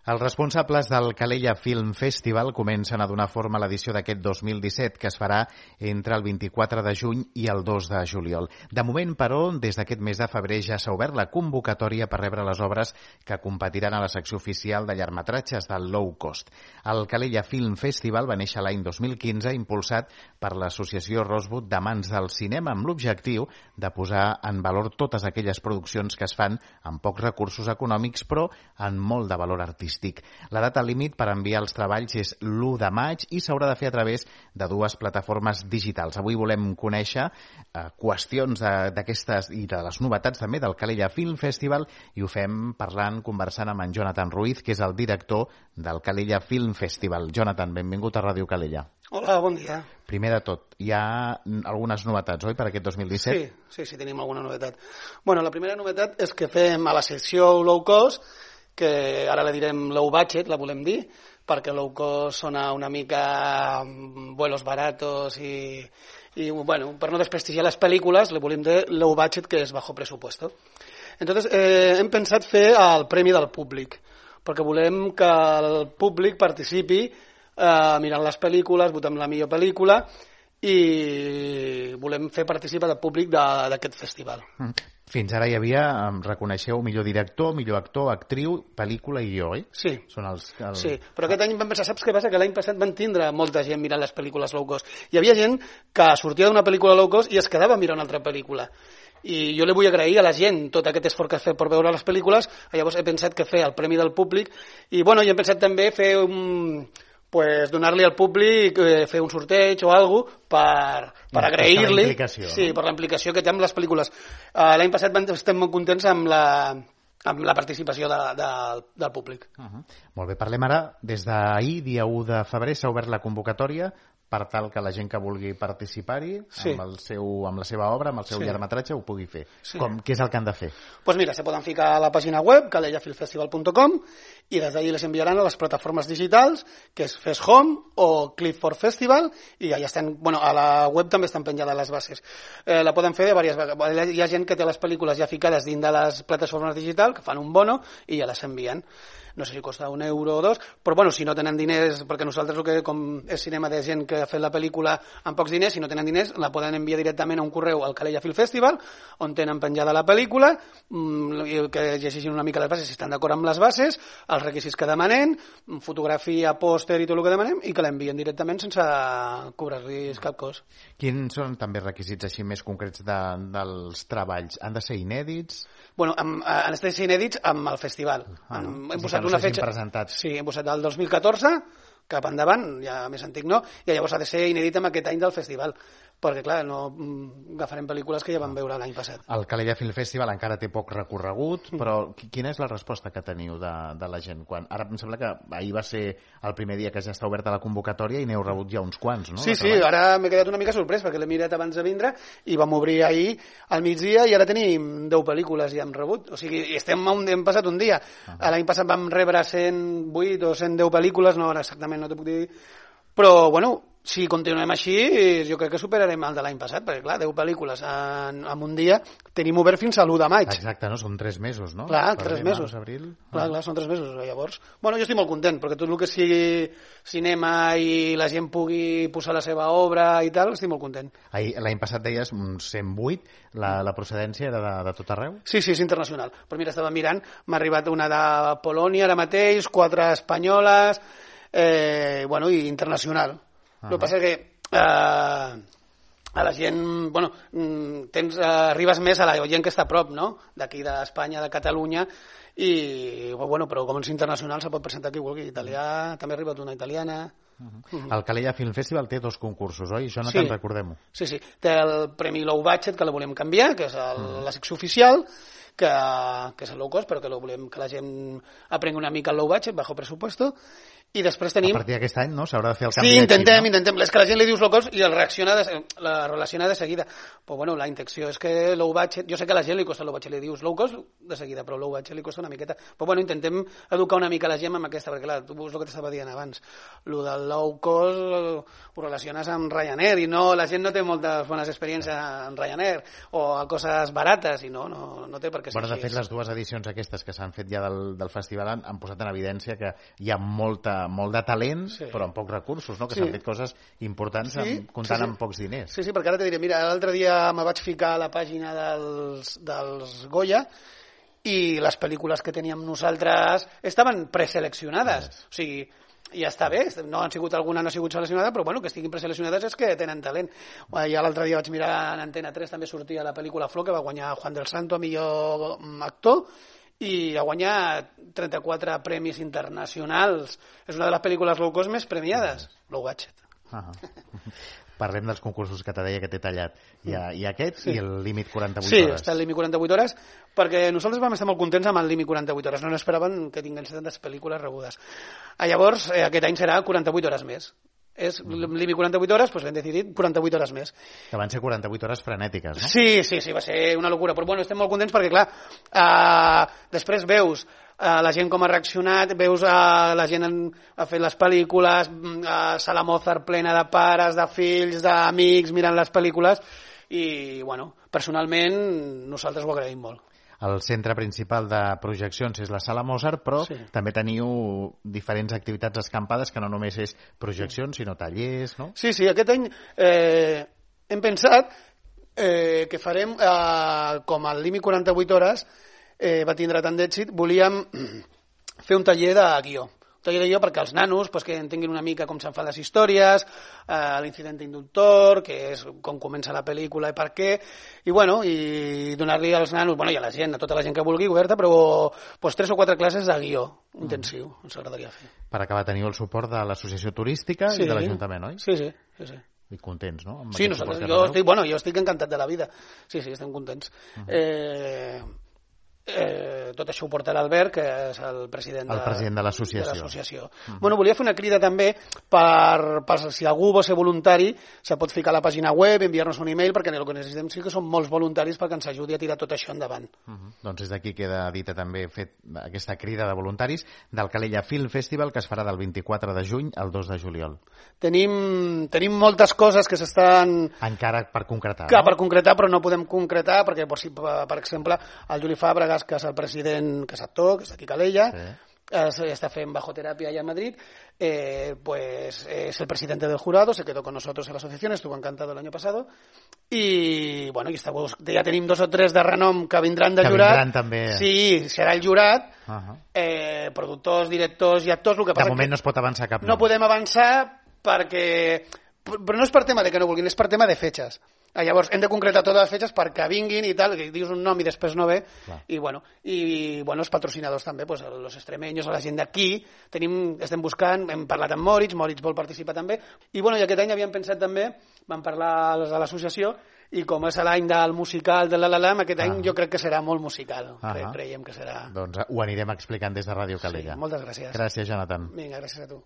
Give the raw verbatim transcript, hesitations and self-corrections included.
Els responsables del Calella Film Festival comencen a donar forma a l'edició d'aquest dos mil disset, que es farà entre el vint-i-quatre de juny i el dos de juliol. De moment, però, des d'aquest mes de febrer ja s'ha obert la convocatòria per rebre les obres que competiran a la secció oficial de llargmetratges del low cost. El Calella Film Festival va néixer l'any dos mil quinze, impulsat per l'associació Rosewood d'Amants del Cinema, amb l'objectiu de posar en valor totes aquelles produccions que es fan amb pocs recursos econòmics, però amb molt de valor artístic. La data límit per enviar els treballs és l'u de maig i s'haurà de fer a través de dues plataformes digitals. Avui volem conèixer eh, qüestions d'aquestes i de les novetats també del Calella Film Festival, i ho fem parlant, conversant amb en Jonathan Ruiz, que és el director del Calella Film Festival. Jonathan, benvingut a Ràdio Calella. Hola, bon dia. Primer de tot, hi ha algunes novetats, oi, per aquest dos mil disset? Sí, sí, sí, tenim alguna novetat. Bueno, la primera novetat és que fem a la secció low cost, que ara la direm low budget, la volem dir, perquè low cost sona una mica vuelos baratos i, i bueno, per no desprestigiar les pel·lícules, le volem dir low budget, que és bajo presupuesto. Entonces, eh, hem pensat fer el premi del públic, perquè volem que el públic participi eh, mirant les pel·lícules, votem la millor pel·lícula, i volem fer participar del públic d'aquest festival. Fins ara hi havia, reconeixeu, millor director, millor actor, actriu, pel·lícula i guió, oi? Sí. Són els, el... sí, però aquest any vam pensar, saps què passa? Que l'any passat van tindre molta gent mirant les pel·lícules low cost. Hi havia gent que sortia d'una pel·lícula low cost i es quedava mirant una altra pel·lícula. I jo li vull agrair a la gent tot aquest esforç que ha fet per veure les pel·lícules. Llavors he pensat que fer el premi del públic i bueno, i hem pensat també fer un... pues donar-li al públic, eh, fer un sorteig o alguna cosa per, per agrair-li, sí, per la implicació que té amb les pel·lícules. Uh, L'any passat vam, estem molt contents amb la, amb la participació de, de, del públic. Uh -huh. Molt bé, parlem ara, des d'ahir, dia u de febrer, s'ha obert la convocatòria per tal que la gent que vulgui participar-hi, sí, amb, el seu, amb la seva obra, amb el seu sí. llargmetratge, ho pugui fer. Sí. Com, què és el que han de fer? Doncs pues mira, se poden ficar a la pàgina web, calella film festival punt com, i des d'ahir les enviaran a les plataformes digitals, que és Fest Home o Clip for Festival, i ja estan, bueno, a la web també estan penjades les bases. Eh, la poden fer de diverses vegades. Hi ha gent que té les pel·lícules ja ficades dins de les plataformes digitals, que fan un bono i ja les envien. No sé si costa un euro o dos, però bueno, si no tenen diners, perquè nosaltres el que com és cinema de gent que ha fet la pel·lícula amb pocs diners, si no tenen diners la poden enviar directament a un correu al Calella Film Festival, on tenen penjada la pel·lícula, mmm, que llegeixin una mica les bases, si estan d'acord amb les bases, els requisits que demanem, fotografia, pòster i tot el que demanem, i que l'envien directament sense cobrar-los cap cost. Quins són també requisits així més concrets de, dels treballs? Han de ser inèdits? Bueno, amb, han de ser inèdits amb el festival. Ah, no. Hem posat una fetge... presentats. Sí, hem posat el dos mil catorze, cap endavant, ja més antic no, i llavors ha de ser inèdit amb aquest any del festival, perquè clar, no agafarem pel·lícules que ja vam veure l'any passat. El Calella Film Festival encara té poc recorregut, però quina és la resposta que teniu de, de la gent? Quan, ara em sembla que ahir va ser el primer dia que ja està oberta la convocatòria i n'heu rebut ja uns quants, no? Sí, sí, ara m'he quedat una mica sorprès perquè l'he mirat abans de vindre i vam obrir ahir al migdia i ara tenim deu pel·lícules ja hem rebut, o sigui, estem un, hem passat un dia. Uh-huh. L'any passat vam rebre cent vuit o cent deu pel·lícules, no, ara exactament no t'ho puc dir, però bueno, si continuem així, jo crec que superarem el de l'any passat, perquè clar, deu pel·lícules en, en un dia tenim obert fins a l'u de maig. Exacte, no? Són tres mesos, no? Clar, tres mesos. Abril. Clar, clar, són tres mesos. Llavors, bueno, jo estic molt content, perquè tot el que sigui cinema i la gent pugui posar la seva obra i tal, estic molt content. L'any passat deies uns cent vuit, la, la procedència era de, de tot arreu? Sí, sí, és internacional. Però mira, estava mirant, m'ha arribat una de Polònia ara mateix, quatre espanyoles, eh, bueno, i internacional. El que passa és que eh, a la gent, bueno, tens, eh, arribes més a la gent que està a prop, no?, d'aquí d'Espanya, de Catalunya, i, bueno, però com és internacional se pot presentar qui vulgui, italià, també ha arribat una italiana. Uh-huh. Uh-huh. El Calella Film Festival té dos concursos, oi? Jonathan, sí. Recordem-ho. Sí, sí, té el Premi Low Budget, que la volem canviar, que és el, uh-huh. la secció oficial, que, que és el low cost, però que lo volem que la gent aprengui una mica el low budget, bajo presupuesto, i després tenim... A partir d'aquest any, no? S'haurà de fer el canvi sí, intentem, d'equip, no? intentem. És que la gent li dius low cost i el reacciona de, la relaciona de seguida. Però bueno, la intenció és que low budget... Jo sé que a la gent li costa low budget, li dius low cost de seguida, però low budget li costa una miqueta. Però bueno, intentem educar una mica la gent amb aquesta, perquè clar, tu veus el que t'estava dient abans. Lo del low cost ho relaciones amb Ryanair i no, la gent no té moltes bones experiències amb Ryanair o a coses barates i no, no, no té per què és bueno, de així. fet, les dues edicions aquestes que s'han fet ja del, del festival han, han posat en evidència que hi ha molta, molt de talent, sí. però amb pocs recursos, no? Que s'han sí. fet coses importants sí, amb, comptant sí, sí. amb pocs diners. Sí, sí, perquè ara te diré, mira, l'altre dia me vaig ficar a la pàgina dels, dels Goya i les pel·lícules que teníem nosaltres estaven preseleccionades. Yes. O sigui, ja està bé, no han sigut alguna no ha sigut seleccionada, però bueno, que estiguin preseleccionades és que tenen talent. Ja l'altre dia vaig mirar en Antena tres, també sortia la pel·lícula Flor, que va guanyar Juan del Santo a millor actor, i ha guanyat trenta-quatre premis internacionals. És una de les pel·lícules low cost més premiades. Low budget. Uh -huh. Parlem dels concursos que te deia que t'he tallat. Hi ha, hi ha aquest sí. i el límit quaranta-vuit sí, hores. Sí, està el límit quaranta-vuit hores, perquè nosaltres vam estar molt contents amb el límit quaranta-vuit hores. No n'esperaven que tinguessin tantes pel·lícules rebudes. Ah, llavors, eh, aquest any serà quaranta-vuit hores més. És mm. límit quaranta-vuit hores, doncs hem decidit quaranta-vuit hores més. Que van ser quaranta-vuit hores frenètiques, no? Sí, sí, sí, va ser una locura. Però bueno, estem molt contents perquè, clar, eh, després veus Uh, la gent com ha reaccionat, veus uh, la gent en, ha fet les pel·lícules, uh, Sala Mozart plena de pares, de fills, d'amics mirant les pel·lícules i, bueno, personalment nosaltres ho agraïm molt. El centre principal de projeccions és la Sala Mozart, però sí. també teniu diferents activitats escampades que no només és projeccions, sinó tallers, no? Sí, sí, aquest any eh, hem pensat eh, que farem eh, com el límit quaranta-vuit hores eh, va tindre tant d'èxit, volíem fer un taller de guió. Un taller de guió perquè els nanos pues, que entenguin una mica com se'n fan les històries, eh, l'incident inductor, que és com comença la pel·lícula i per què, i, bueno, i donar-li als nanos, bueno, i a la gent, a tota la gent que vulgui, oberta, però pues, tres o quatre classes de guió intensiu, mm. ens agradaria fer. Per acabar, teniu el suport de l'associació turística sí. i de l'Ajuntament, oi? Sí, sí, sí, sí. I contents, no? Amb sí, nosaltres, jo estic, bueno, jo estic encantat de la vida. Sí, sí, estem contents. Uh-huh. Eh... Eh, tot això ho porta l'Albert, que és el president de, el president de l'associació. Uh-huh. Bueno, volia fer una crida també per, per si algú vol ser voluntari, se pot ficar a la pàgina web, enviar-nos un e-mail, perquè el que necessitem sí que són molts voluntaris perquè ens ajudi a tirar tot això endavant. Uh-huh. Doncs des d'aquí queda dita també fet aquesta crida de voluntaris del Calella Film Festival, que es farà del vint-i-quatre de juny al dos de juliol. Tenim, tenim moltes coses que s'estan... Encara per concretar, que no? Per concretar, però no podem concretar, perquè, per, per exemple, el Juli Fàbrega, que és el president, que és actor, que és aquí a Calella, sí. está fent bajoterapia allá en Madrid, eh, pues es el presidente del jurado, se quedó con nosotros en la asociación, estuvo encantado el año pasado, y bueno, y està, ja tenim dos o tres de renom que vindran de que jurat. Vindran, també. Sí, serà el jurat, uh-huh. eh, productors, directors i actors. El que de passa moment que no es pot avançar cap nom. No podem avançar perquè... Però no és per tema de que no vulguin, és per tema de fetges. Ah, llavors, hem de concretar totes les fetges perquè vinguin i tal, que dius un nom i després no ve. Clar. I, bueno, i bueno, els patrocinadors també, pues, els extremeños, la gent d'aquí, tenim, estem buscant, hem parlat amb Moritz, Moritz vol participar també, i, bueno, i aquest any havíem pensat també, vam parlar a l'associació, i com és l'any del musical de l'Alalam, aquest any ah. jo crec que serà molt musical, ah Cre creiem que serà... Doncs ho anirem explicant des de Ràdio Calella. Sí, moltes gràcies. Gràcies, Jonathan. Vinga, gràcies a tu.